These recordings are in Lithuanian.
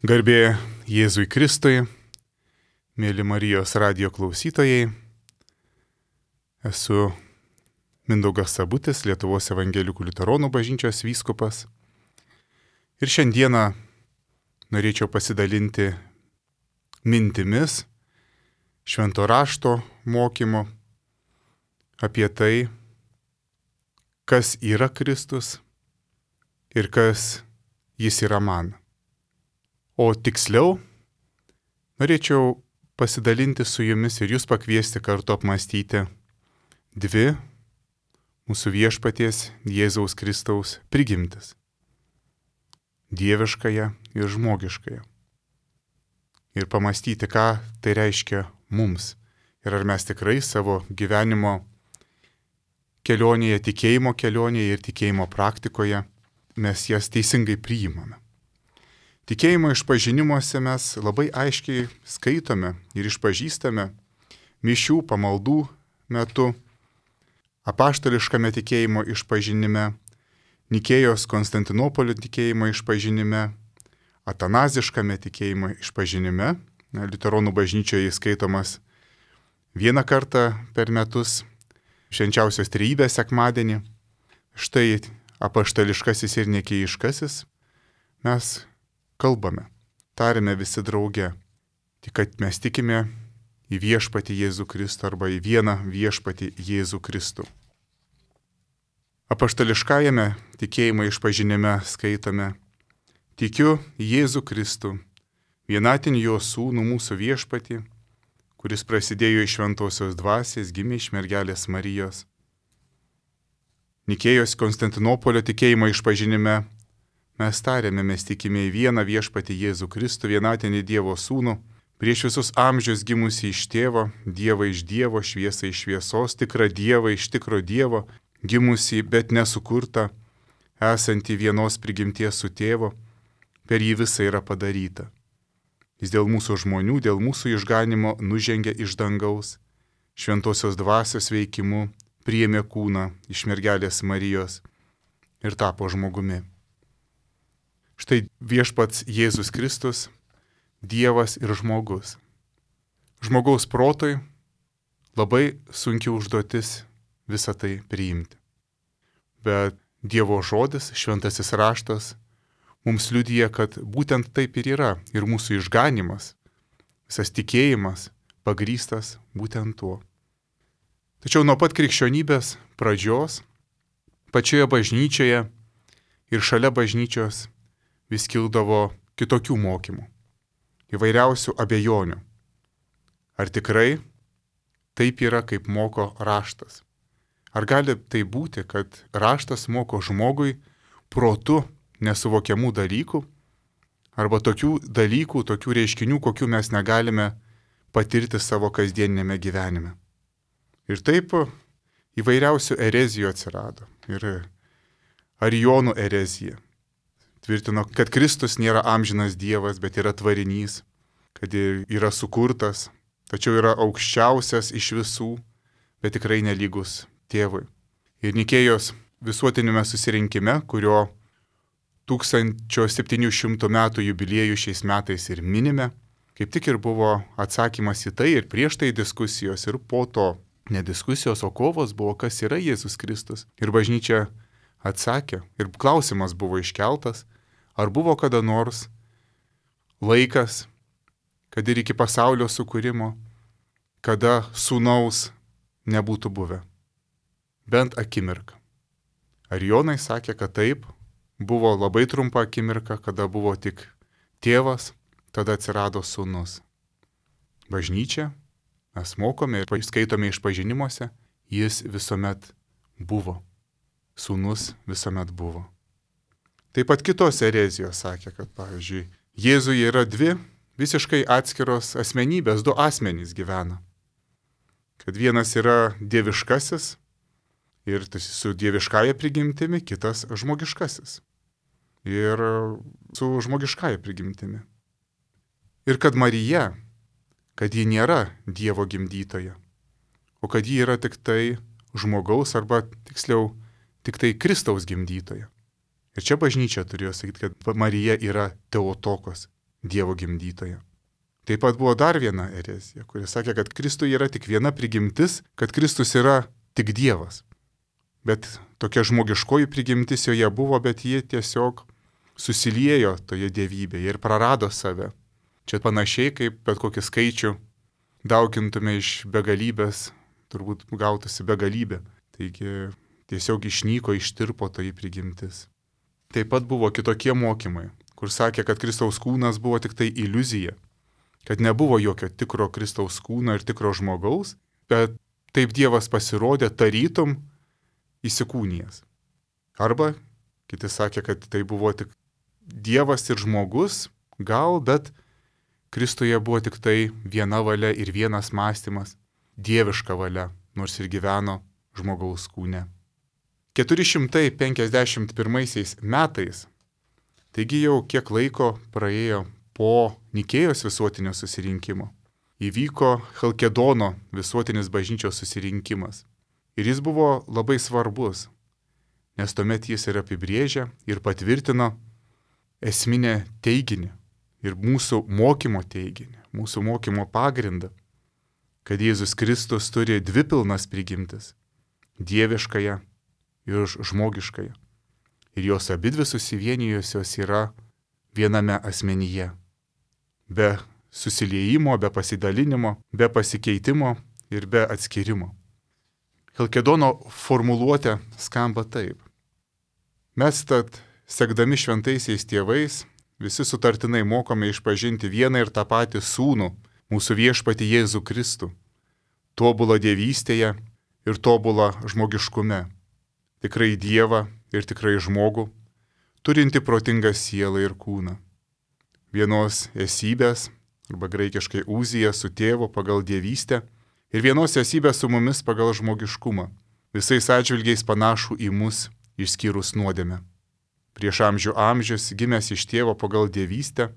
Garbė Jėzui Kristui, mėly Marijos radijo klausytojai. Esu Mindaugas Sabutis, Lietuvos evangelikų liuteronų bažnyčios vyskupas. Ir šiandieną norėčiau pasidalinti mintimis švento rašto mokymo apie tai, kas yra Kristus ir kas jis yra man. O tiksliau, norėčiau pasidalinti su jumis ir jūs pakviesti kartu apmąstyti dvi mūsų viešpaties Jėzaus Kristaus prigimtis - dieviškąją ir žmogiškąją. Ir pamastyti, ką tai reiškia mums ir ar mes tikrai savo gyvenimo kelionėje, tikėjimo kelionėje ir tikėjimo praktikoje mes jas teisingai priimame. Tikėjimo išpažinimuose mes labai aiškiai skaitome ir išpažįstame mišių pamaldų metu, apaštališkame tikėjimo išpažinime, Nikėjos Konstantinopolio tikėjimo išpažinime, atanaziškame tikėjimo išpažinime, liuteronų bažnyčioje įskaitomas vieną kartą per metus, švenčiausios trejybės sekmadienį. Štai apaštališkasis ir nikėjiškasis mes kalbame, tariame visi drauge, tik kad mes tikime į viešpatį Jėzų Kristų arba į vieną viešpatį Jėzų Kristų. Apaštališkajame tikėjimo išpažinime skaitome: tikiu Jėzų Kristų, vienatinį jo sūnų mūsų viešpatį, kuris prasidėjo iš šventosios dvasios, gimė iš mergelės Marijos. Nikėjos Konstantinopolio tikėjimo išpažinime mes tariame, mes tikime į vieną viešpatį Jėzų Kristų, vienatinį Dievo sūnų, prieš visus amžius gimusį iš tėvo, Dievą iš Dievo, šviesą iš šviesos, tikrą Dievą iš tikro Dievo, gimusį, bet nesukurtą, esantį vienos prigimties su tėvu, per jį visa yra padaryta. Jis dėl mūsų žmonių, dėl mūsų išganimo nužengė iš dangaus, šventosios dvasios veikimu priėmė kūną iš mergelės Marijos ir tapo žmogumi. Štai viešpats Jėzus Kristus, Dievas ir žmogus. Žmogaus protui labai sunki užduotis visą tai priimti. Bet Dievo žodis, šventasis raštas, mums liudija, kad būtent taip ir yra. Ir mūsų išganimas, visas tikėjimas pagrįstas būtent tuo. Tačiau nuo pat krikščionybės pradžios, pačioje bažnyčioje ir šalia bažnyčios vis kildavo kitokių mokymų, įvairiausių abejonių. Ar tikrai taip yra, kaip moko raštas? Ar gali tai būti, kad raštas moko žmogui protu nesuvokiamų dalykų, arba tokių dalykų, tokių reiškinių, kokių mes negalime patirti savo kasdieninėme gyvenime? Ir taip įvairiausių erezijų atsirado. Ir arijonų erezija tvirtino, kad Kristus nėra amžinas Dievas, bet yra tvarinys, kad yra sukurtas, tačiau yra aukščiausias iš visų, bet tikrai nelygus tėvui. Ir Nikėjos visuotinėme susirinkime, kurio 1700 metų jubiliejų šiais metais ir minime, kaip tik ir buvo atsakymas į tai ir prieš tai diskusijos ir po to ne diskusijos, o kovos buvo, kas yra Jėzus Kristus. Ir bažnyčia atsakė ir klausimas buvo iškeltas, ar buvo kada nors laikas, kad ir iki pasaulio sukūrimo, kada sūnaus nebūtų buvę. Bent akimirką. Arijonai sakė, kad taip, buvo labai trumpa akimirka, kada buvo tik tėvas, tada atsirado sūnus. Bažnyčia, mes mokome ir skaitome išpažinimuose, jis visuomet buvo. Sūnus visuomet buvo. Taip pat kitos erezijos sakė, kad, pavyzdžiui, Jėzuje yra dvi visiškai atskiros asmenybės, du asmenys gyvena. Kad vienas yra dieviškasis ir su dieviškąja prigimtimi, kitas žmogiškasis ir su žmogiškąja prigimtimi. Ir kad Marija, kad ji nėra Dievo gimdytoja, o kad ji yra tik tai žmogaus arba tiksliau tik tai Kristaus gimdytoja. Ir čia bažnyčia turėjo sakyti, kad Marija yra Teotokos, Dievo gimdytoja. Taip pat buvo dar viena erezija, kuri sakė, kad Kristuje yra tik viena prigimtis, kad Kristus yra tik Dievas. Bet tokia žmogiškoji prigimtis joje buvo, bet ji tiesiog susiliejo toje dievybėje ir prarado save. Čia panašiai kaip bet kokį skaičių daugintume iš begalybės, turbūt gautųsi begalybė. Taigi tiesiog išnyko, ištirpo toji prigimtis. Taip pat buvo kitokie mokymai, kur sakė, kad Kristaus kūnas buvo tik tai iliuzija, kad nebuvo jokio tikro Kristaus kūno ir tikro žmogaus, bet taip Dievas pasirodė tarytum įsikūnijęs. Arba kiti sakė, kad tai buvo tik Dievas ir žmogus, gal, bet Kristuje buvo tik tai viena valia ir vienas mąstymas, dieviška valia, nors ir gyveno žmogaus kūne. 451 metais, taigi jau kiek laiko praėjo po Nikėjos visuotinio susirinkimo, įvyko Chalkedono visuotinis bažnyčios susirinkimas. Ir jis buvo labai svarbus, nes tuomet jis ir apibrėžė ir patvirtino esminę teiginį ir mūsų mokymo teiginį, mūsų mokymo pagrindą, kad Jėzus Kristus turi dvi pilnas prigimtis - dieviškąją ir žmogiškąją. Ir jos abidvi susivienijusios yra viename asmenyje. Be susiliejimo, be pasidalinimo, be pasikeitimo ir be atskirimo. Chalkedono formuluotė skamba taip. Mes tad, sekdami šventaisiais tėvais, visi sutartinai mokome išpažinti vieną ir tą patį sūnų, mūsų viešpatį Jėzų Kristų, tobulą dievystėje ir tobulą žmogiškume, tikrai Dievą ir tikrai žmogų, turinti protingą sielą ir kūną. Vienos esybės, arba graikiškai uzija su tėvu pagal dievystę, ir vienos esybės su mumis pagal žmogiškumą, visais atžvilgiais panašų į mus, išskyrus nuodėmę. Prieš amžių amžius gimęs iš tėvo pagal dievystę,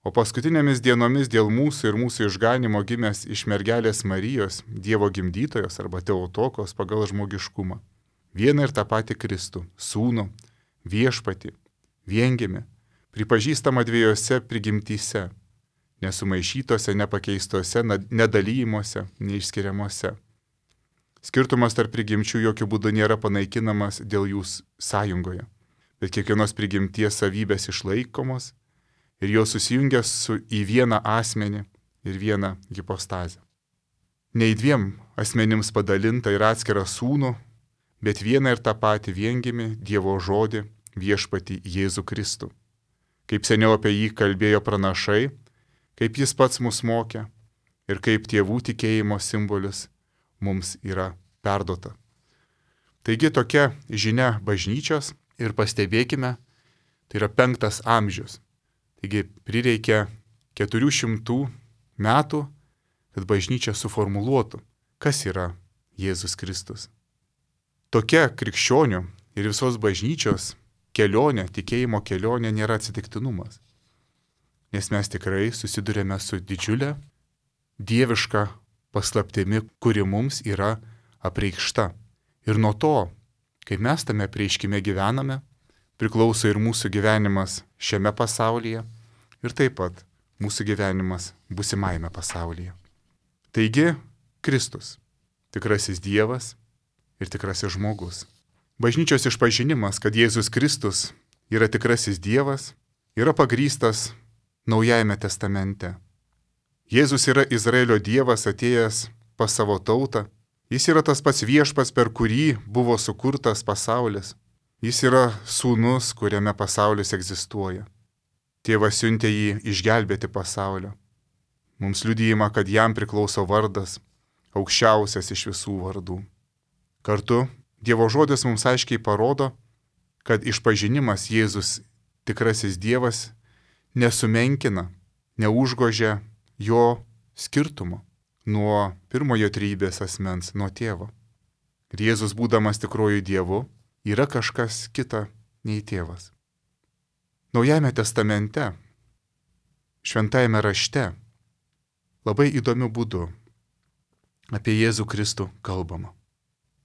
o paskutinėmis dienomis dėl mūsų ir mūsų išganimo gimęs iš mergelės Marijos, Dievo gimdytojos arba Teotokos pagal žmogiškumą. Vieną ir tą patį Kristų, sūnų, viešpatį, viengimį, pripažįstama dviejose prigimtyse, nesumaišytose, nepakeistose, nedalymuose, neišskiriamuose. Skirtumas tarp prigimčių jokių būdų nėra panaikinamas dėl jų sąjungoje, bet kiekvienos prigimties savybės išlaikomos ir jos susijungia į vieną asmenį ir vieną hipostazę. Ne į dviem asmenims padalinta ir atskirą sūnų, bet vieną ir tą patį viengimį Dievo žodį viešpatį Jėzų Kristų. Kaip seniau apie jį kalbėjo pranašai, kaip jis pats mus mokė ir kaip tėvų tikėjimo simbolis mums yra perduota. Taigi tokia žinia bažnyčios ir pastebėkime, tai yra 5 amžius. Taigi prireikia 400 metų, kad bažnyčia suformuluotų, kas yra Jėzus Kristus. Tokia krikščionių ir visos bažnyčios kelionė, tikėjimo kelionė nėra atsitiktinumas. Nes mes tikrai susidurėme su didžiulė dieviška paslaptimi, kuri mums yra apreikšta. Ir nuo to, kai mes tame apreiškime gyvename, priklauso ir mūsų gyvenimas šiame pasaulyje ir taip pat mūsų gyvenimas būsimajame pasaulyje. Taigi, Kristus, tikrasis Dievas ir tikrasis žmogus. Bažnyčios išpažinimas, kad Jėzus Kristus yra tikrasis Dievas, yra pagrįstas Naujajame testamente. Jėzus yra Izraelio Dievas atėjęs pas savo tautą. Jis yra tas pats viešpats, per kurį buvo sukurtas pasaulis. Jis yra sūnus, kuriame pasaulis egzistuoja. Tėvas siuntė jį išgelbėti pasaulio. Mums liudijama, kad jam priklauso vardas, aukščiausias iš visų vardų. Kartu Dievo žodis mums aiškiai parodo, kad išpažinimas Jėzus tikrasis Dievas nesumenkina, neužgožia jo skirtumo nuo pirmojo trejybės asmens, nuo tėvo. Ir Jėzus, būdamas tikruoju Dievu, yra kažkas kita nei tėvas. Naujajame testamente, šventajame rašte, labai įdomiu būdu apie Jėzų Kristų kalbama.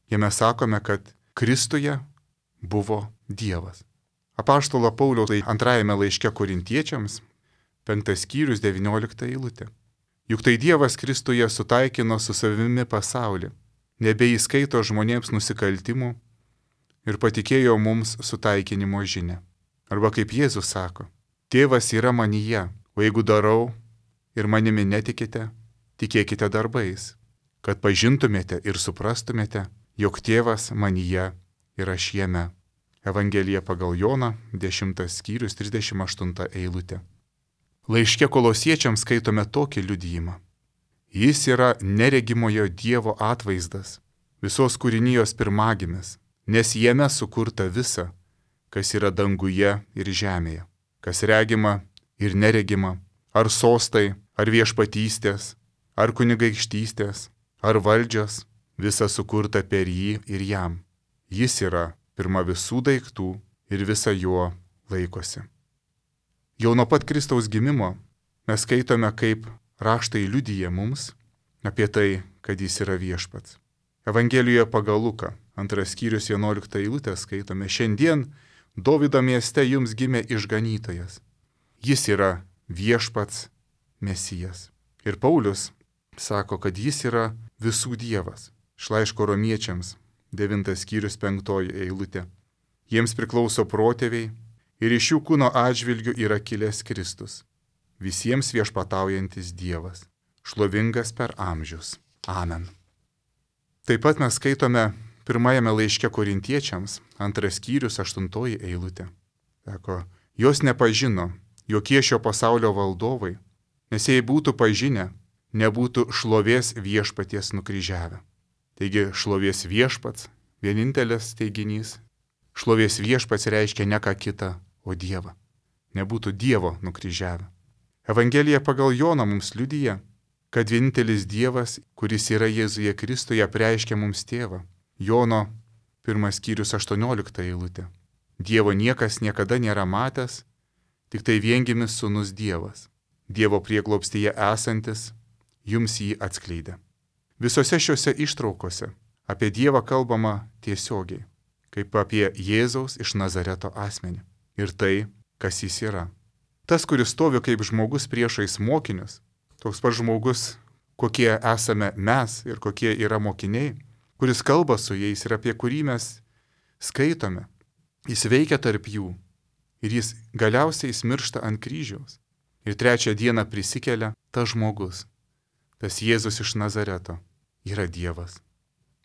Jame sakome, kad Kristuje buvo Dievas. Apaštalo Pauliaus 2 laiške Korintiečiams, 5 skyrius 19 eilutė. Juk tai Dievas Kristuje sutaikino su savimi pasaulį, nebeįskaito žmonėms nusikaltimų ir patikėjo mums sutaikinimo žinią. Arba kaip Jėzus sako, Tėvas yra manyje, o jeigu darau ir manimi netikite, tikėkite darbais, kad pažintumėte ir suprastumėte, jog Tėvas manyje ir aš jame. Evangelija pagal Joną, 10 skyrius 38 eilutė. Laiške Kolosiečiams skaitome tokį liudijimą. Jis yra neregimojo Dievo atvaizdas, visos kūrinijos pirmagimis, nes jame sukurta visa, kas yra danguje ir žemėje, kas regima ir neregima, ar sostai, ar viešpatystės, ar kunigaikštystės, ar valdžios, visa sukurta per jį ir jam. Jis yra pirma visų daiktų ir visa juo laikosi. Jau nuo pat Kristaus gimimo mes skaitome, kaip raštai liudija mums apie tai, kad jis yra viešpats. Evangelijoje pagal Luką, 2 skyrius 11 eilutę skaitome, šiandien Dovydo mieste jums gimė išganytojas. Jis yra viešpats Mesijas. Ir Paulius sako, kad jis yra visų Dievas. Iš laiško Romiečiams, 9 skyrius 5 eilutė. Jiems priklauso protėviai ir iš jų kūno atžvilgių yra kilęs Kristus, visiems viešpataujantis Dievas, šlovingas per amžius. Amen. Taip pat mes skaitome pirmajame laiške Korintiečiams, 2 skyrius 8 eilutė. Sako, jos nepažino jokie šio pasaulio valdovai, nes jei būtų pažinę, nebūtų šlovės viešpaties nukryžiavę. Taigi šlovės viešpats, vienintelis teiginys, šlovės viešpats reiškia ne ką kitą, o Dievą. Nebūtų Dievo nukryžiavę. Evangelija pagal Joną mums liudija, kad vienintelis Dievas, kuris yra Jėzuje Kristuje, apreiškia mums Tėvą. Jono 1 skyrius 18 eilutė. Dievo niekas niekada nėra matęs, tik tai viengimis sūnus Dievas. Dievo prieglobstyje esantis jums jį atskleidė. Visose šiuose ištraukose apie Dievą kalbama tiesiogiai, kaip apie Jėzaus iš Nazareto asmenį. Ir tai, kas jis yra. Tas, kuris stovi kaip žmogus priešais mokinius, toks pats žmogus, kokie esame mes ir kokie yra mokiniai, kuris kalba su jais ir apie kurį mes skaitome, jis veikia tarp jų ir jis galiausiai miršta ant kryžiaus. Ir 3 dieną prisikelia tas žmogus, tas Jėzus iš Nazareto, yra Dievas.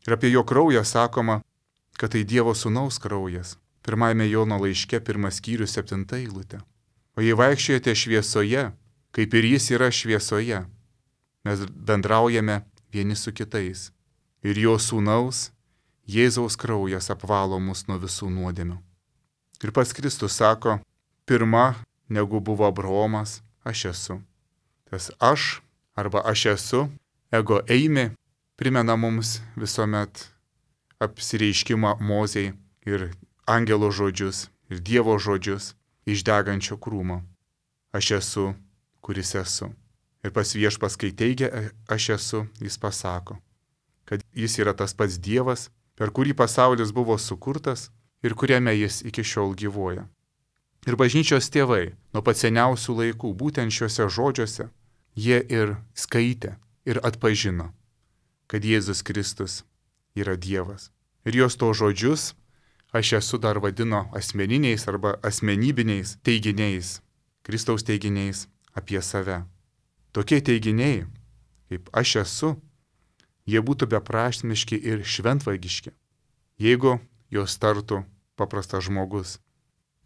Ir apie jo kraują sakoma, kad tai Dievo sūnaus kraujas. 1 Jono laiške 1 skyrius 7 eilutė. O jei vaikščiojate šviesoje, kaip ir jis yra šviesoje, mes bendraujame vieni su kitais. Ir jo sūnaus, Jėzaus kraujas apvalo mus nuo visų nuodėmių. Ir pats Kristus sako, pirma, negu buvo Abraomas, aš esu. Tas aš arba aš esu, ego eimi, primena mums visuomet apsireiškimą Mozei ir angelo žodžius ir Dievo žodžius iš degančio krūmo. Aš esu, kuris esu. Ir pas viešpas, kai teigia aš esu, jis pasako, kad jis yra tas pats Dievas, per kurį pasaulis buvo sukurtas ir kuriame jis iki šiol gyvuoja. Ir bažnyčios tėvai nuo pat seniausių laikų būtent šiuose žodžiuose jie ir skaitė ir atpažino, kad Jėzus Kristus yra Dievas. Ir jos to žodžius aš esu dar vadino asmeniniais arba asmenybiniais teiginiais, Kristaus teiginiais apie save. Tokie teiginiai, kaip aš esu, jie būtų beprasmiški ir šventvagiški, jeigu jos tartų paprastas žmogus.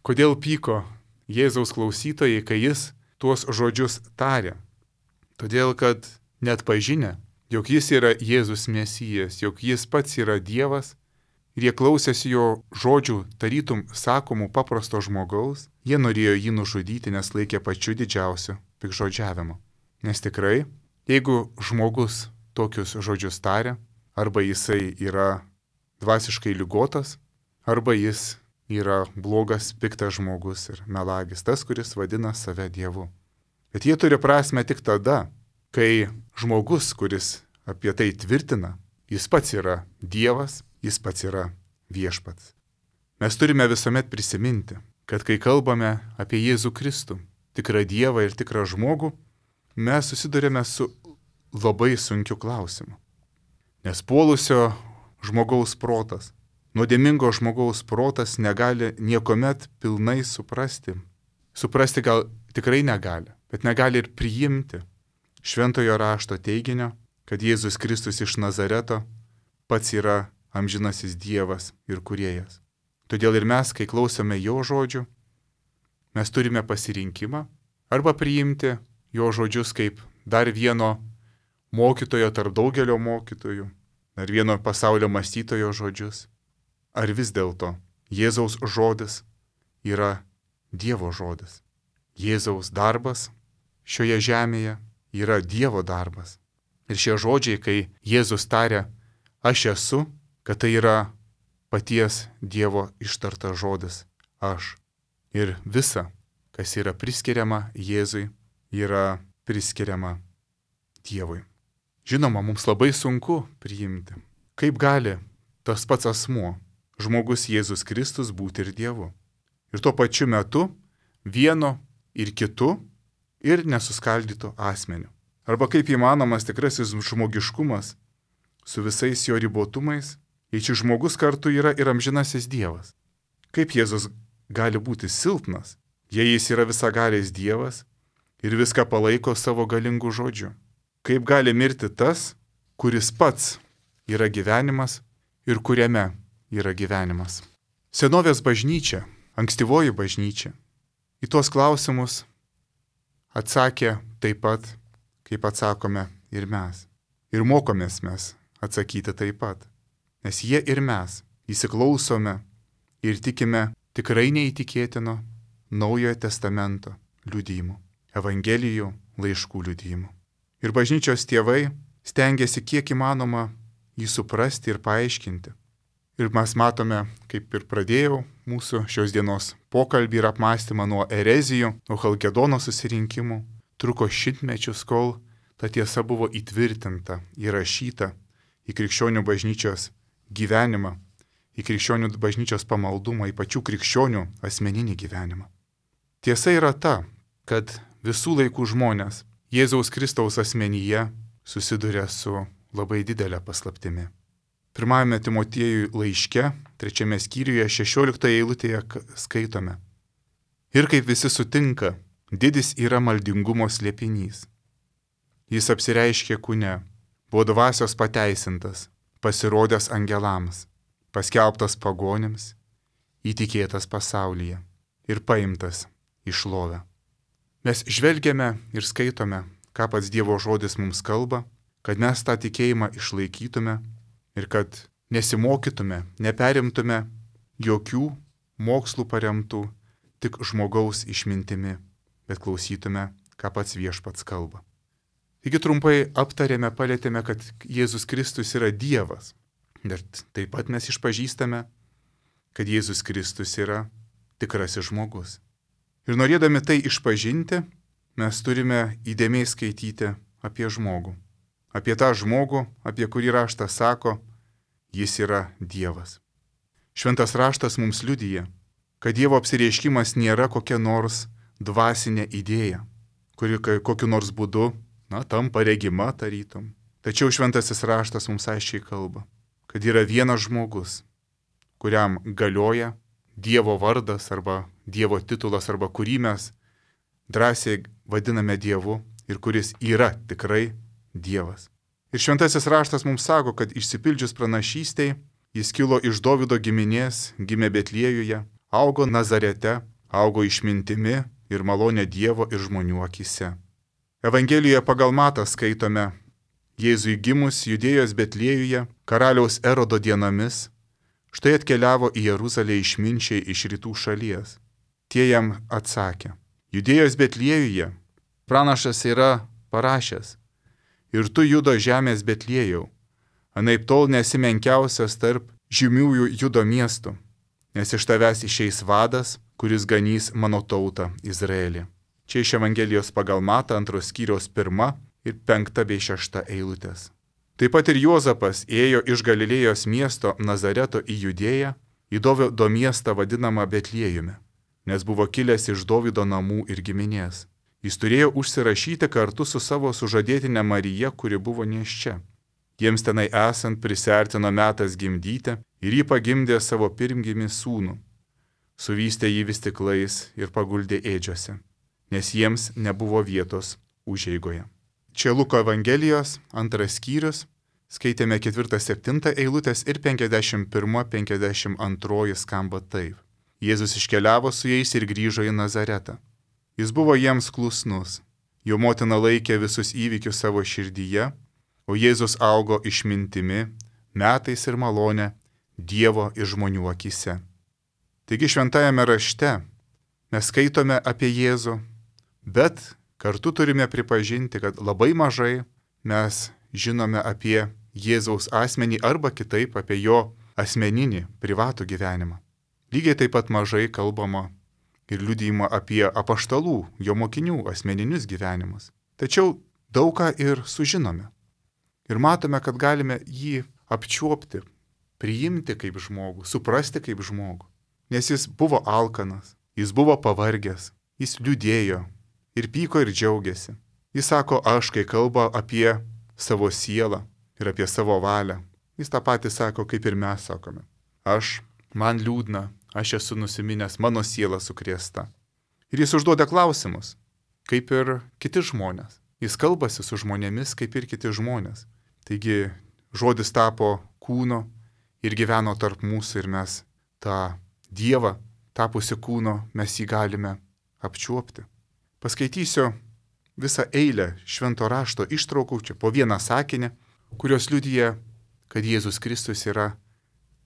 Kodėl pyko Jėzaus klausytojai, kai jis tuos žodžius tarė? Todėl, kad net pažinę, jog jis yra Jėzus Mesijas, jog jis pats yra Dievas, ir jie klausėsi jo žodžių tarytum sakomų paprasto žmogaus, jie norėjo jį nužudyti, nes laikė pačiu didžiausiu pikžodžiavimu. Nes tikrai, jeigu žmogus tokius žodžius taria, arba jisai yra dvasiškai ligotas, arba jis yra blogas, piktas žmogus ir melagis, tas, kuris vadina save Dievu. Bet jie turi prasme tik tada, kai žmogus, kuris apie tai tvirtina, jis pats yra Dievas, jis pats yra viešpats. Mes turime visuomet prisiminti, kad kai kalbame apie Jėzų Kristų, tikrą Dievą ir tikrą žmogų, mes susidurėme su labai sunkiu klausimu. Nes puolusio žmogaus protas, nuodėmingo žmogaus protas negali niekuomet pilnai suprasti. Suprasti gal tikrai negali, bet negali ir priimti šventojo rašto teiginio, kad Jėzus Kristus iš Nazareto pats yra amžinasis Dievas ir kūrėjas. Todėl ir mes, kai klausome jo žodžių, mes turime pasirinkimą arba priimti jo žodžius kaip dar vieno mokytojo tarp daugelio mokytojų, dar vieno pasaulio mąstytojo žodžius. Ar vis dėlto Jėzaus žodis yra Dievo žodis. Jėzaus darbas šioje žemėje yra Dievo darbas. Ir šie žodžiai, kai Jėzus taria, aš esu, kad tai yra paties Dievo ištartas žodis, aš. Ir visa, kas yra priskiriama Jėzui, yra priskiriama Dievui. Žinoma, mums labai sunku priimti, kaip gali tas pats asmuo, žmogus Jėzus Kristus, būti ir Dievu. Ir tuo pačiu metu vieno ir kitu ir nesuskaldytų asmeniu. Arba kaip įmanomas tikrasis žmogiškumas su visais jo ribotumais, jei šis žmogus kartu yra ir amžinasis Dievas. Kaip Jėzus gali būti silpnas, jei jis yra visagalis Dievas ir viską palaiko savo galingų žodžių? Kaip gali mirti tas, kuris pats yra gyvenimas ir kuriame yra gyvenimas? Senovės bažnyčia, ankstyvoji bažnyčia, į tuos klausimus atsakė taip pat, kaip atsakome ir mes. Ir mokomės mes atsakyti taip pat. Nes jie ir mes įsiklausome ir tikime tikrai neįtikėtino Naujojo testamento liudijimų, evangelijų, laiškų liudijimų. Ir bažnyčios tėvai stengiasi kiek įmanoma jį suprasti ir paaiškinti. Ir mes matome, kaip ir pradėjau mūsų šios dienos pokalbį ir apmąstymą nuo erezijų, nuo Chalkedono susirinkimų. Truko šimtmečius, kol ta tiesa buvo įtvirtinta, įrašyta į krikščionių bažnyčios gyvenimą, į krikščionių bažnyčios pamaldumą, į pačių krikščionių asmeninį gyvenimą. Tiesa yra ta, kad visų laikų žmonės Jėzaus Kristaus asmenyje susiduria su labai didelė paslaptimi. Pirmajame Timotiejui laiške, 3 skyriuje, 16 eilutėje skaitome. Ir kaip visi sutinka, didis yra maldingumo slėpinys. Jis apsireiškė kūne, buvo dvasios pateisintas, pasirodęs angelams, paskelbtas pagonims, įtikėtas pasaulyje ir paimtas į šlovę. Mes žvelgiame ir skaitome, ką pats Dievo žodis mums kalba, kad mes tą tikėjimą išlaikytume ir kad nesimokytume, neperimtume jokių mokslų paremtų tik žmogaus išmintimi, bet klausytume, ką pats Viešpats kalba. Taigi trumpai aptarėme, palėtėme, kad Jėzus Kristus yra Dievas, bet taip pat mes išpažįstame, kad Jėzus Kristus yra tikrasis žmogus. Ir norėdami tai išpažinti, mes turime įdėmiai skaityti apie žmogų. Apie tą žmogų, apie kurį raštas sako, jis yra Dievas. Šventas raštas mums liudija, kad Dievo apsireiškimas nėra kokia nors dvasinė idėja, kuri kokiu nors būdu, tampa regima tarytum. Tačiau šventasis raštas mums aiškiai kalba, kad yra vienas žmogus, kuriam galioja Dievo vardas arba Dievo titulas, arba kurį mes drąsiai vadiname Dievu ir kuris yra tikrai Dievas. Ir šventasis raštas mums sako, kad išsipildžius pranašystei, jis kilo iš Dovydo giminės, gimė Betliejuje, augo Nazarete, augo išmintimi ir malonė Dievo ir žmonių akise. Evangelijoje pagal Matą skaitome, Jėzui gimus Judėjos Betliejuje, karaliaus Erodo dienomis, štai atkeliavo į Jeruzalę išminčiai iš rytų šalies. Tie jam atsakė, Judėjos Betliejuje pranašas yra parašęs, ir tu Judo žemės Betliejau, anaip tol nesi menkiausias tarp žymiųjų Judo miestų, nes iš tavęs išeis vadas, kuris ganys mano tautą Izraelį. Čia iš Evangelijos pagal Matą 2 skyriaus 1 ir 5 bei 6 eilutės. Taip pat ir Juozapas ėjo iš Galilėjos miesto Nazareto į Judėją, į Dovydo miestą vadinamą Betliejumi, nes buvo kilęs iš Dovydo namų ir giminės. Jis turėjo užsirašyti kartu su savo sužadėtine Marija, kuri buvo nėščia. Jiems tenai esant prisertino metas gimdyti ir jį pagimdė savo pirmgimį sūnų. Suvystė jį vis stiklais ir paguldė ėdžiose, nes jiems nebuvo vietos užeigoje. Čia Luko Evangelijos 2 skyrius, skaitėme 4-7 eilutės ir 51-52 skamba taip. Jėzus iškeliavo su jais ir grįžo į Nazaretą. Jis buvo jiems klusnus, jo motina laikė visus įvykius savo širdyje, o Jėzus augo išmintimi, metais ir malonė Dievo ir žmonių akyse. Taigi šventajame rašte mes skaitome apie Jėzų, bet kartu turime pripažinti, kad labai mažai mes žinome apie Jėzaus asmenį arba kitaip apie jo asmeninį, privatų gyvenimą. Lygiai taip pat mažai kalbama ir liudijama apie apaštalų, jo mokinių asmeninius gyvenimus. Tačiau daug ką ir sužinome. Ir matome, kad galime jį apčiuopti, priimti kaip žmogų, suprasti kaip žmogų. Nes jis buvo alkanas, jis buvo pavargęs, jis liūdėjo ir pyko ir džiaugiasi. Jis sako aš, kai kalba apie savo sielą ir apie savo valią. Jis tą patį sako, kaip ir mes sakome. Man liūdna, aš esu nusiminęs, mano siela sukrėsta. Ir jis užduoda klausimus, kaip ir kiti žmonės. Jis kalbasi su žmonėmis, kaip ir kiti žmonės. Taigi žodis tapo kūno ir gyveno tarp mūsų ir mes tą Dievą tapusi kūno, mes jį galime apčiuopti. Paskaitysiu visą eilę švento rašto ištraukų, čia po vieną sakinį, kurios liudija, kad Jėzus Kristus yra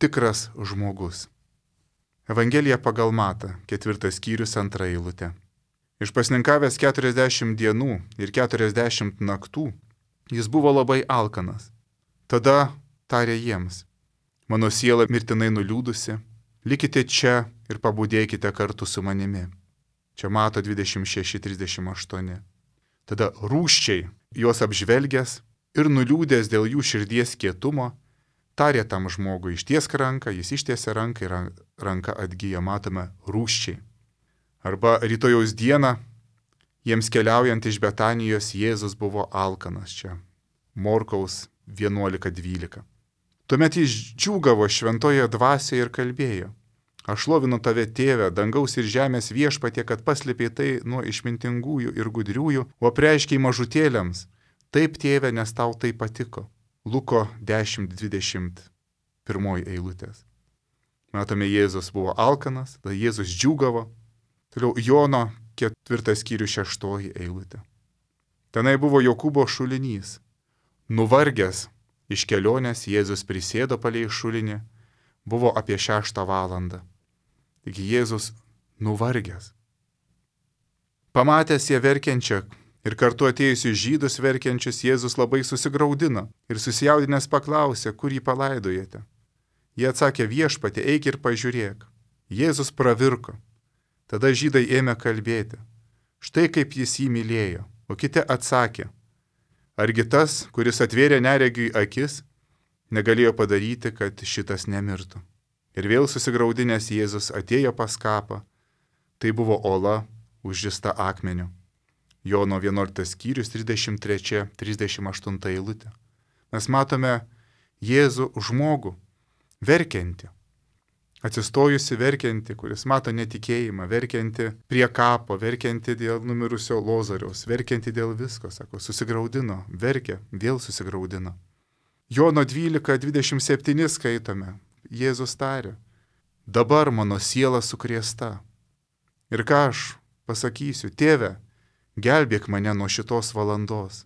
tikras žmogus. Evangelija pagal Matą, 4 skyrius 2 eilutė. Išpasninkavęs 40 dienų ir 40 naktų, jis buvo labai alkanas. Tada tarė jiems, mano siela mirtinai nuliūdusi, likite čia ir pabudėkite kartu su manimi. Čia Mato 26-38. Tada rūsčiai juos apžvelgęs ir nuliūdęs dėl jų širdies kietumo, tarė tam žmogui, ištiesk ranką, jis ištiesė ranką ir ranka atgyja, matome rūsčiai. Arba rytojaus dieną, jiems keliaujant iš Betanijos, Jėzus buvo alkanas čia. Morkaus 11-12. Tuomet jis džiūgavo šventoje dvasioje ir kalbėjo. Aš šlovinu tave, tėve, dangaus ir žemės viešpatie, kad paslėpei tai nuo išmintingųjų ir gudriųjų, o apreiškei mažutėliams. Taip, tėve, nes tau tai patiko. Luko 10:21 eilutės. Matome, Jėzus buvo alkanas, tada Jėzus džiūgavo. Toliau Jono 4 skyrius 6 eilutė. Tenai buvo Jokūbo šulinys. Nuvargęs iš kelionės Jėzus prisėdo palei šulinį, buvo apie 6 valandą. Taigi Jėzus nuvargęs. Pamatęs ją verkiančią ir kartu atėjusius žydus verkiančius, Jėzus labai susigraudino ir susijaudinęs paklausė, kur jį palaidojate. Jie atsakė, viešpatie, eik ir pažiūrėk. Jėzus pravirko. Tada žydai ėmė kalbėti. Štai kaip jis jį mylėjo. O kiti atsakė, argi tas, kuris atvėrė neregiui akis, negalėjo padaryti, kad šitas nemirtų. Ir vėl susigraudinęs Jėzus atėjo pas kapą. Tai buvo ola užžista akmeniu. Jono 11 skyrius 33-38 eilutė. Mes matome Jėzų žmogų, verkiantį, atsistojusi verkiantį, kuris mato netikėjimą, verkiantį prie kapo, verkiantį dėl numirusio Lozoriaus, verkiantį dėl visko, sako, susigraudino, verkė, vėl susigraudino. Jono 12:27 skaitome, Jėzus tarė, dabar mano siela sukrėsta. Ir ką aš pasakysiu, tėve, gelbėk mane nuo šitos valandos.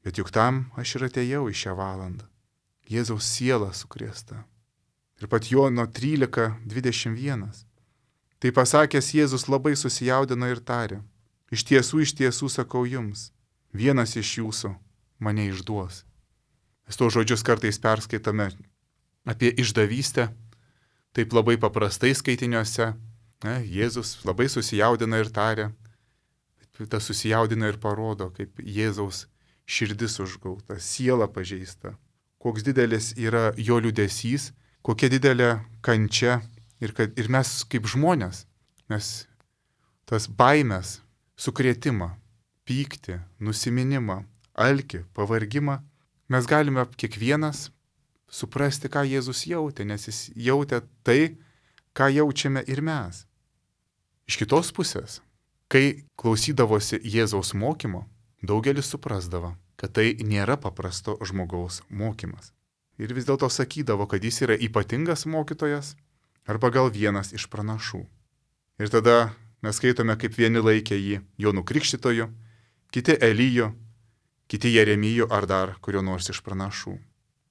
Bet juk tam aš ir atėjau į šią valandą. Jėzaus siela sukrėsta. Ir pat Jono 13:21. Tai pasakęs Jėzus labai susijaudino ir tarė, iš tiesų sakau jums, vienas iš jūsų mane išduos. Mes to žodžius kartais perskaitame apie išdavystę, taip labai paprastai skaitiniuose. Jėzus labai susijaudina ir tarė, tas susijaudina ir parodo, kaip Jėzaus širdis užgauta, siela pažeista, koks didelis yra jo liūdesys, kokia didelė kančia ir mes kaip žmonės, mes tas baimės sukrėtimą, pyktį, nusiminimą, alkį, pavargimą, mes galime kiekvienas suprasti, ką Jėzus jautė, nes jis jautė tai, ką jaučiame ir mes. Iš kitos pusės, kai klausydavosi Jėzaus mokymo, daugelis suprasdavo, kad tai nėra paprasto žmogaus mokymas. Ir vis dėlto sakydavo, kad jis yra ypatingas mokytojas arba gal vienas iš pranašų. Ir tada mes skaitome, kaip vieni laikė jį Jonu Krikštytoju, kiti Eliju, kiti Jeremiju ar dar kurio nors iš pranašų.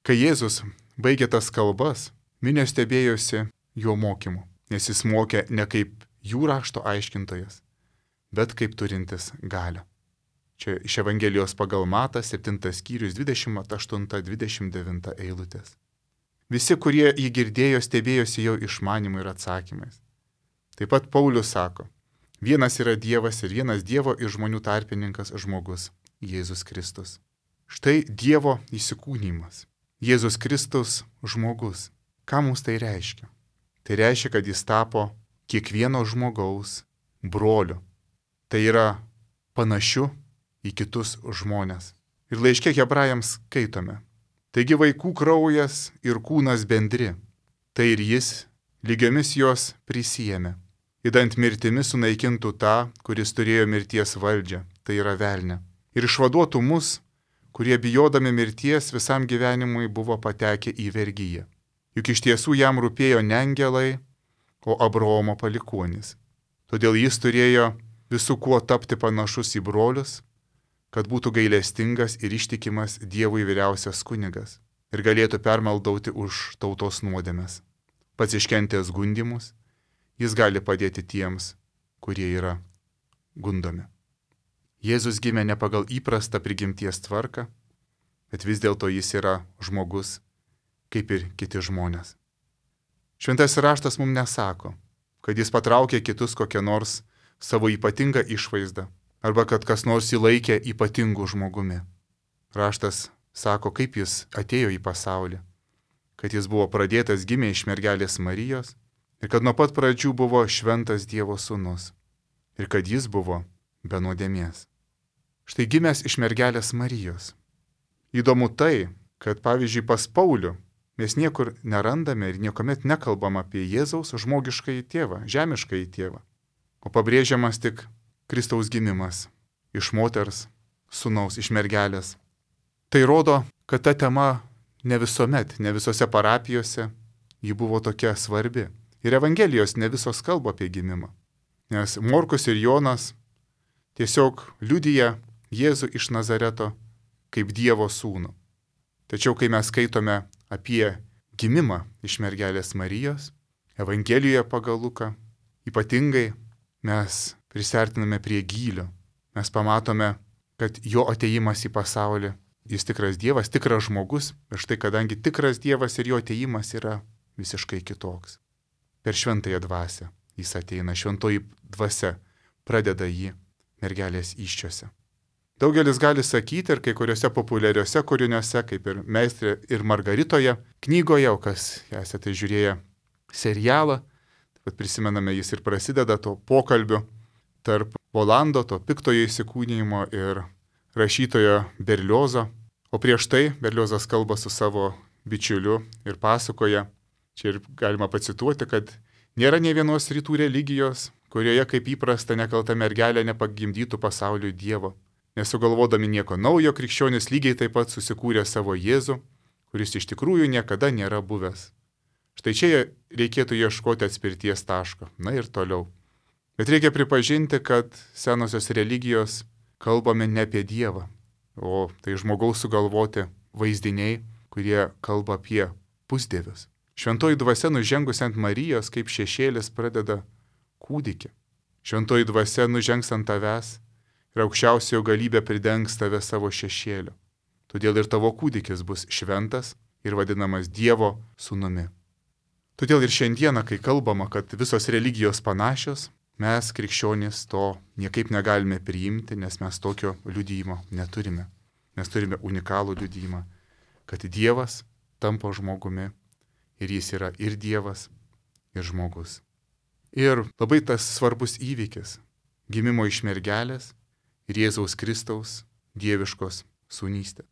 Kai Jėzus baigė tas kalbas, minios stebėjosi jo mokymu, nes jis mokė ne kaip jų rašto aiškintojas, bet kaip turintis galią. Čia iš Evangelijos pagal Matą 7 skyrius 28-29 eilutės. Visi, kurie jį girdėjo, stebėjosi jo išmanimu ir atsakymais. Taip pat Paulius sako, vienas yra Dievas ir vienas Dievo ir žmonių tarpininkas žmogus, Jėzus Kristus. Štai Dievo įsikūnymas. Jėzus Kristus žmogus. Ką mums tai reiškia? Tai reiškia, kad jis tapo kiekvieno žmogaus broliu. Tai yra panašiu į kitus žmonės. Ir laiške Hebrajams skaitome. Taigi vaikų kraujas ir kūnas bendri. Tai ir jis lygiomis jos prisijėmė. Įdant mirtimi sunaikintų tą, kuris turėjo mirties valdžią, tai yra velnę. Ir išvaduotų mus, kurie bijodami mirties visam gyvenimui buvo patekę į vergyją. Juk iš tiesų jam rūpėjo ne angelai, o Abraomo palikuonys. Todėl jis turėjo visų kuo tapti panašus į brolius, kad būtų gailestingas ir ištikimas Dievui vyriausias kunigas ir galėtų permaldauti už tautos nuodėmes. Pats iškentęs gundymus, jis gali padėti tiems, kurie yra gundomi. Jėzus gimė ne pagal įprastą prigimties tvarką, bet vis dėlto jis yra žmogus, kaip ir kiti žmonės. Šventasis raštas mums nesako, kad jis patraukė kitus kokią nors savo ypatingą išvaizdą, arba kad kas nors jį laikė ypatingu žmogumi. Raštas sako, kaip jis atėjo į pasaulį, kad jis buvo pradėtas gimė iš mergelės Marijos ir kad nuo pat pradžių buvo šventas Dievo sūnus ir kad jis buvo be nuodėmės. Štai gimęs iš mergelės Marijos. Įdomu tai, kad pavyzdžiui pas Paulių mes niekur nerandame ir niekuomet nekalbam apie Jėzaus žmogiškąjį tėvą, žemiškąjį tėvą, o pabrėžiamas tik Kristaus gimimas iš moters, sūnaus, iš mergelės. Tai rodo, kad ta tema ne visuomet, ne visose parapijose ji buvo tokia svarbi. Ir Evangelijos ne visos kalba apie gimimą. Nes Morkus ir Jonas tiesiog liudija Jėzų iš Nazareto kaip Dievo sūnų. Tačiau kai mes skaitome apie gimimą iš mergelės Marijos, Evangelijoje pagal Luką, ypatingai mes prisiartiname prie gylio. Mes pamatome, kad jo atėjimas į pasaulį, jis tikras Dievas, tikras žmogus, ir štai kadangi tikras Dievas ir jo atėjimas yra visiškai kitoks. Per šventąją dvasią jis ateina, šventoji dvasia pradeda jį mergelės įsčiose. Daugelis gali sakyti ir kai kuriuose populiariuose kūriniuose, kaip ir Meistrė ir Margaritoje, knygoje, o kas esate žiūrėję serialą, taip pat prisimename, jis ir prasideda to pokalbiu tarp Volando, to piktojo įsikūnijimo ir rašytojo Berliozo. O prieš tai Berliozas kalba su savo bičiuliu ir pasakoja, čia ir galima pacituoti, kad nėra nė vienos rytų religijos, kurioje kaip įprasta nekalta mergelė nepagimdytų pasauliui Dievo. Nesugalvodami nieko naujo, krikščionys lygiai taip pat susikūrė savo Jėzų, kuris iš tikrųjų niekada nėra buvęs. Štai čia reikėtų ieškoti atspirties taško. Na ir toliau. Bet reikia pripažinti, kad senosios religijos kalbame ne apie Dievą, o tai žmogaus sugalvoti vaizdiniai, kurie kalba apie pusdievius. Šventoji dvasia nužengus ant Marijos kaip šešėlis pradeda kūdikį. Šventoji dvasia nužengs ant tavęs ir aukščiausiojo galybė pridengs tave savo šešėliu. Todėl ir tavo kūdikis bus šventas ir vadinamas Dievo sūnumi. Todėl ir šiandieną, kai kalbama, kad visos religijos panašios, mes, krikščionys, to niekaip negalime priimti, nes mes tokio liudijimo neturime. Mes turime unikalų liudijimą, kad Dievas tampa žmogumi ir jis yra ir Dievas, ir žmogus. Ir labai tas svarbus įvykis. gimimo iš mergelės ir Jėzaus Kristaus dieviškos sūnystės.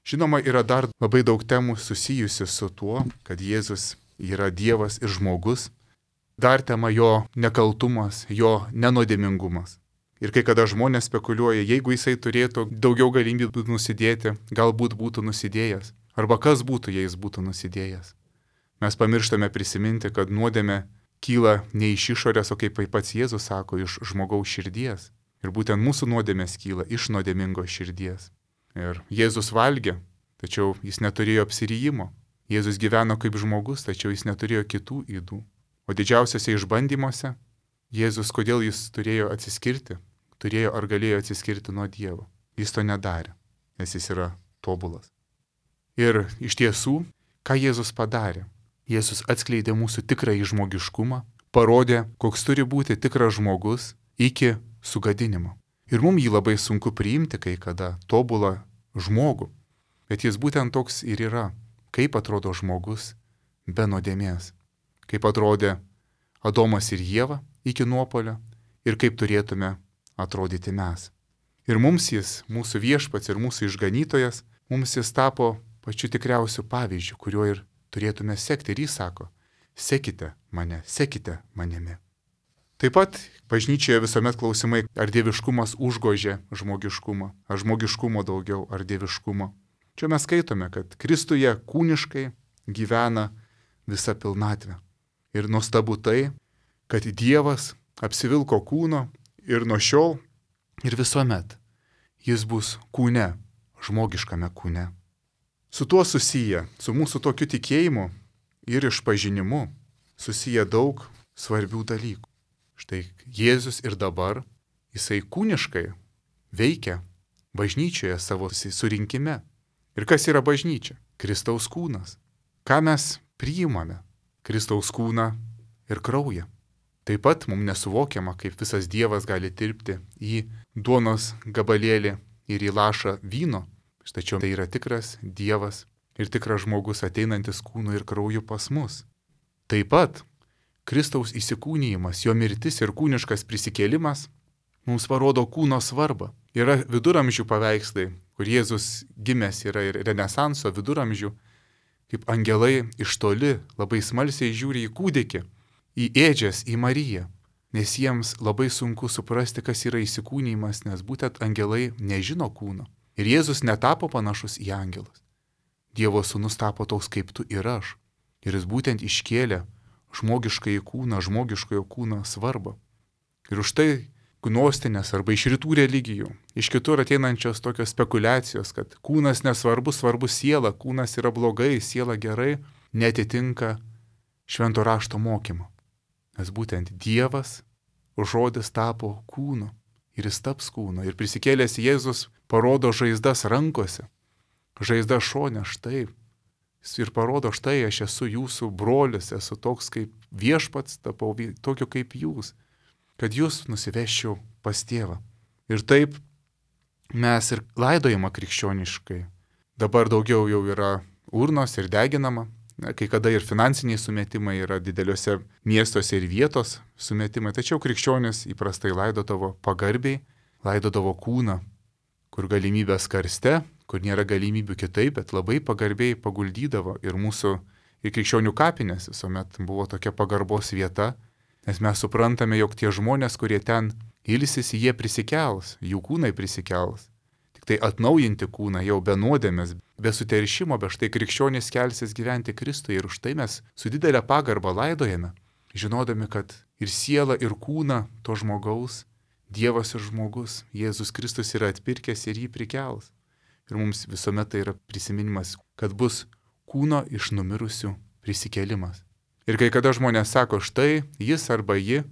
Žinoma, yra dar labai daug temų susijusių su tuo, kad Jėzus yra Dievas ir žmogus. Dar tema jo nekaltumas, jo nenuodėmingumas. Ir kai kada žmonės spekuliuoja, jeigu jisai turėtų daugiau galimybių nusidėti, galbūt būtų nusidėjęs. Arba kas būtų, jei jis būtų nusidėjęs. Mes pamirštame prisiminti, kad nuodėmė kyla ne iš išorės, o kaip pats Jėzus sako, iš žmogaus širdies. Ir būtent mūsų nuodėmės kyla iš nuodėmingos širdies. Ir Jėzus valgė, tačiau jis neturėjo apsirijimo. Jėzus gyveno kaip žmogus, tačiau jis neturėjo kitų ydų. O didžiausiose išbandymuose Jėzus, kodėl jis turėjo atsiskirti, turėjo ar galėjo atsiskirti nuo Dievo. Jis to nedarė, nes jis yra tobulas. Ir iš tiesų, ką Jėzus padarė? Jėzus atskleidė mūsų tikrąjį žmogiškumą, parodė, koks turi būti tikras žmogus iki sugadinimo. Ir mums jį labai sunku priimti kai kada, tobulą žmogų. Bet jis būtent toks ir yra, kaip atrodo žmogus be nuodėmės. Kaip atrodė Adomas ir Ieva iki nuopuolio ir kaip turėtume atrodyti mes. Ir mums jis, mūsų viešpats ir mūsų išganytojas, mums jis tapo pačiu tikriausiu pavyzdžiu, kuriuo ir turėtume sekti. Ir jis sako, sekite manimi. Taip pat bažnyčioje visuomet klausimai, ar dieviškumas užgožė žmogiškumą, ar žmogiškumo daugiau, ar dieviškumo. Čia mes skaitome, kad Kristuje kūniškai gyvena visa pilnatvė. Ir nuostabu tai, kad Dievas apsivilko kūno ir nuo šiol ir visuomet jis bus kūne, žmogiškame kūne. Su tuo susiję, su mūsų tokiu tikėjimu ir išpažinimu susiję daug svarbių dalykų. Štai Jėzus ir dabar, jisai kūniškai veikia bažnyčioje savo surinkime. Ir kas yra bažnyčia? Kristaus kūnas. Ką mes priimame? Kristaus kūną ir kraują. Taip pat mums nesuvokiama, kaip visas Dievas gali tilpti į duonos gabalėlį ir į lašą vyno. Tačiau tai yra tikras Dievas ir tikras žmogus ateinantis kūnu ir krauju pas mus. Taip pat Kristaus įsikūnijimas, jo mirtis ir kūniškas prisikėlimas mums parodo kūno svarbą. Yra viduramžių paveikslai, kur Jėzus gimęs yra ir Renesanso viduramžių, kaip angelai iš toli labai smalsiai žiūri į kūdikį, į ėdžias, į Mariją, nes jiems labai sunku suprasti, kas yra įsikūnijimas, nes būtent angelai nežino kūno. Ir Jėzus netapo panašus į angelus. Dievo sūnus tapo toks kaip tu ir aš. Ir jis būtent iškėlė žmogiškojo kūno svarbą. Ir už tai gnostinės arba iš rytų religijų, iš kitur ateinančios tokios spekulacijos, kad kūnas nesvarbu, svarbu siela, kūnas yra blogai, siela gerai, netitinka švento rašto mokymo. Nes būtent Dievas, žodis tapo kūnu ir jis taps kūnu. Ir prisikėlęs Jėzus parodo žaizdas rankose, žaizdas šone, štai. Ir parodo, štai aš esu jūsų brolis, esu toks kaip viešpats, tapau tokiu kaip jūs, kad jūs nusiveščiau pas tėvą. Ir taip mes ir laidojama krikščioniškai. Dabar daugiau jau yra urnos ir deginama, kai kada ir finansiniai sumetimai yra dideliuose miestuose ir vietos sumetimai, tačiau krikščionis įprastai laidodavo pagarbiai, laidodavo kūną, kur galimybės karste, kur nėra galimybių kitaip, bet labai pagarbiai paguldydavo. Ir mūsų ir krikščionių kapinės visuomet buvo tokia pagarbos vieta, nes mes suprantame, jog tie žmonės, kurie ten ilsisi, jie prisikels, jų kūnai prisikels. Tik tai atnaujinti kūną jau be nuodėmės, be suteršimo, be štai krikščionis kelsis gyventi Kristuje. Ir už tai mes su didelė pagarba laidojame, žinodami, kad ir siela, ir kūną to žmogaus, Dievas ir žmogus, Jėzus Kristus yra atpirkęs ir jį prikels. Ir mums visuomet tai yra prisiminimas, kad bus kūno iš numirusių prisikėlimas. Ir kai kada žmonės sako, štai jis arba ji,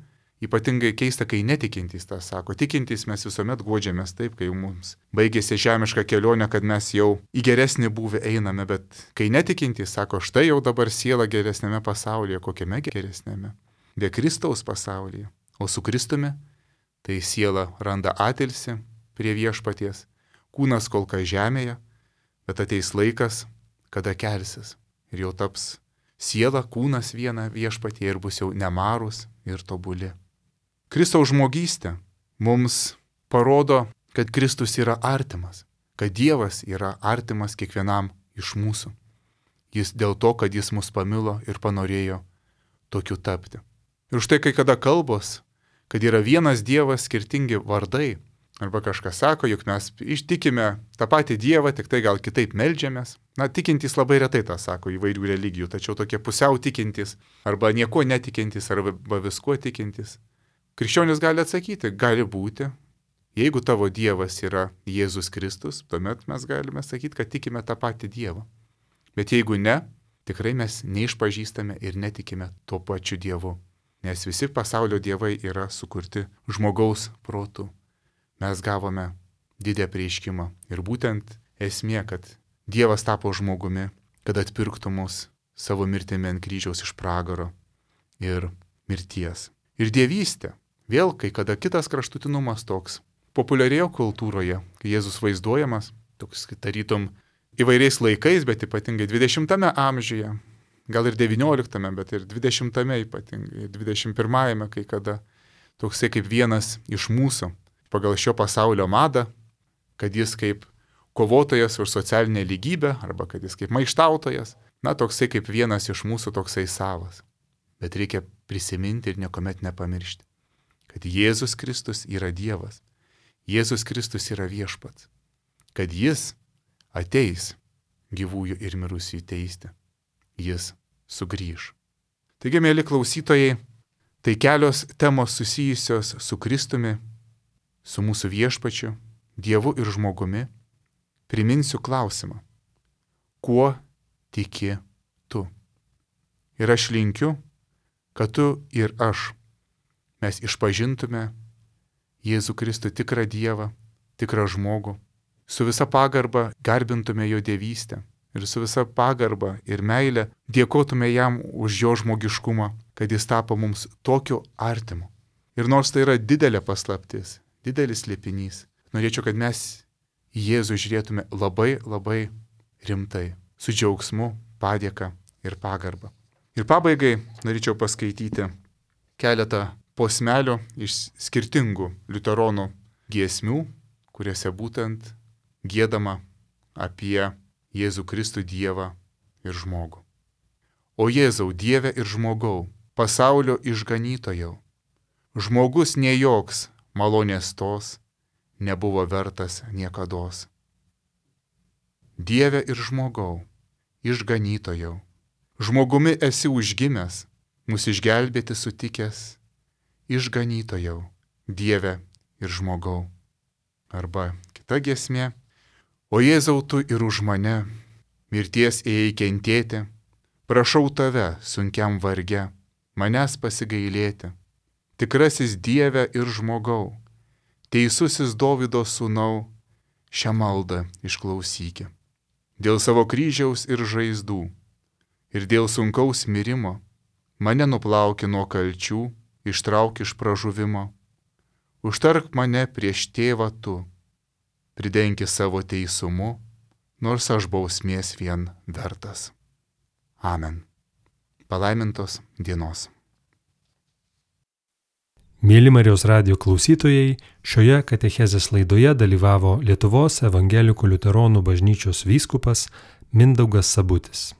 ypatingai keista, kai netikintys tą sako. Tikintys mes visuomet guodžiamės taip, kai mums baigėsi žemiška kelionė, kad mes jau į geresnį būvį einame, bet kai netikintys sako, štai jau dabar siela geresnėme pasaulyje, kokiame geresnėme? Be Kristaus pasaulyje. O su Kristumi tai siela randa atilsį prie viešpaties, kūnas kol kas žemėje, bet ateis laikas, kada kelsis ir jau taps siela, kūnas viena viešpatie ir bus jau nemarūs ir tobuli. Kristaus žmogystė mums parodo, kad Kristus yra artimas, kad Dievas yra artimas kiekvienam iš mūsų. Jis dėl to, kad jis mus pamilo ir panorėjo tokiu tapti. Ir štai kai kada kalbos, kad yra vienas Dievas, skirtingi vardai, arba kažkas sako, juk mes ištikime tą patį Dievą, tik tai gal kitaip meldžiamės. Na, tikintys labai retai tą sako įvairių religijų, tačiau tokie pusiau tikintys, arba nieko netikintys, arba viskuo tikintys. Krikščionis gali atsakyti, gali būti, jeigu tavo Dievas yra Jėzus Kristus, tuomet mes galime sakyti, kad tikime tą patį Dievą. Bet jeigu ne, tikrai mes neišpažįstame ir netikime tuo pačiu Dievu, nes visi pasaulio dievai yra sukurti žmogaus protu. Mes gavome didelį apreiškimą ir būtent esmė, kad Dievas tapo žmogumi, kad atpirktų mus savo mirtimi ant kryžiaus iš pragaro ir mirties. Ir dievystė, vėl kai kada kitas kraštutinumas toks, populiarėjo kultūroje, kai Jėzus vaizduojamas, toks tarytum įvairiais laikais, bet ypatingai 20 amžiuje, gal ir 19, bet ir 20 ypatingai, 21, kai kada toksai kaip vienas iš mūsų, pagal šio pasaulio madą, kad jis kaip kovotojas už socialinę lygybę, arba kad jis kaip maištautojas, na, toksai kaip vienas iš mūsų toksai savas. Bet reikia prisiminti ir niekuomet nepamiršti, kad Jėzus Kristus yra Dievas, Jėzus Kristus yra viešpats, kad jis ateis gyvųjų ir mirusiųjų teisti, jis sugrįš. Taigi, mėly klausytojai, tai kelios temos susijusios su Kristumi, su mūsų viešpačiu, Dievu ir žmogumi. Priminsiu klausimą, kuo tiki tu? Ir aš linkiu, kad tu ir aš, mes išpažintume Jėzų Kristų tikrą Dievą, tikrą žmogų, su visa pagarba garbintume jo dievystę ir su visa pagarba ir meile dėkotume jam už jo žmogiškumą, kad jis tapo mums tokiu artimu. Ir nors tai yra didelė paslaptis, didelis slėpinys, norėčiau, kad mes į Jėzų žiūrėtume labai, labai rimtai, su džiaugsmu, padėka ir pagarba. Ir pabaigai norėčiau paskaityti keletą posmelių iš skirtingų liuteronų giesmių, kuriuose būtent giedama apie Jėzų Kristų Dievą ir žmogų. O Jėzau, Dieve ir žmogau, pasaulio išganytojau, žmogus ne joks malonės tos nebuvo vertas niekados. Dieve ir žmogau, išganytojau, žmogumi esi užgimęs, mus išgelbėti sutikęs, išganytojau, Dieve ir žmogau. Arba kita giesmė, o Jėzau tu ir už mane, mirties ėjai kentėti, prašau tave sunkiam varge, manęs pasigailėti, tikrasis Dieve ir žmogau, teisusis Dovydo sūnau, šią maldą išklausyki. Dėl savo kryžiaus ir žaizdų, ir dėl sunkaus mirimo, mane nuplauki nuo kalčių, ištrauk iš pražuvimo. Užtark mane prieš tėvą tu, pridenki savo teisumu, nors aš bausmės vien vertas. Amen. Palaimintos dienos. Mėly Marijos radijo klausytojai, šioje katechezės laidoje dalyvavo Lietuvos evangelikų liuteronų bažnyčios vyskupas Mindaugas Sabutis.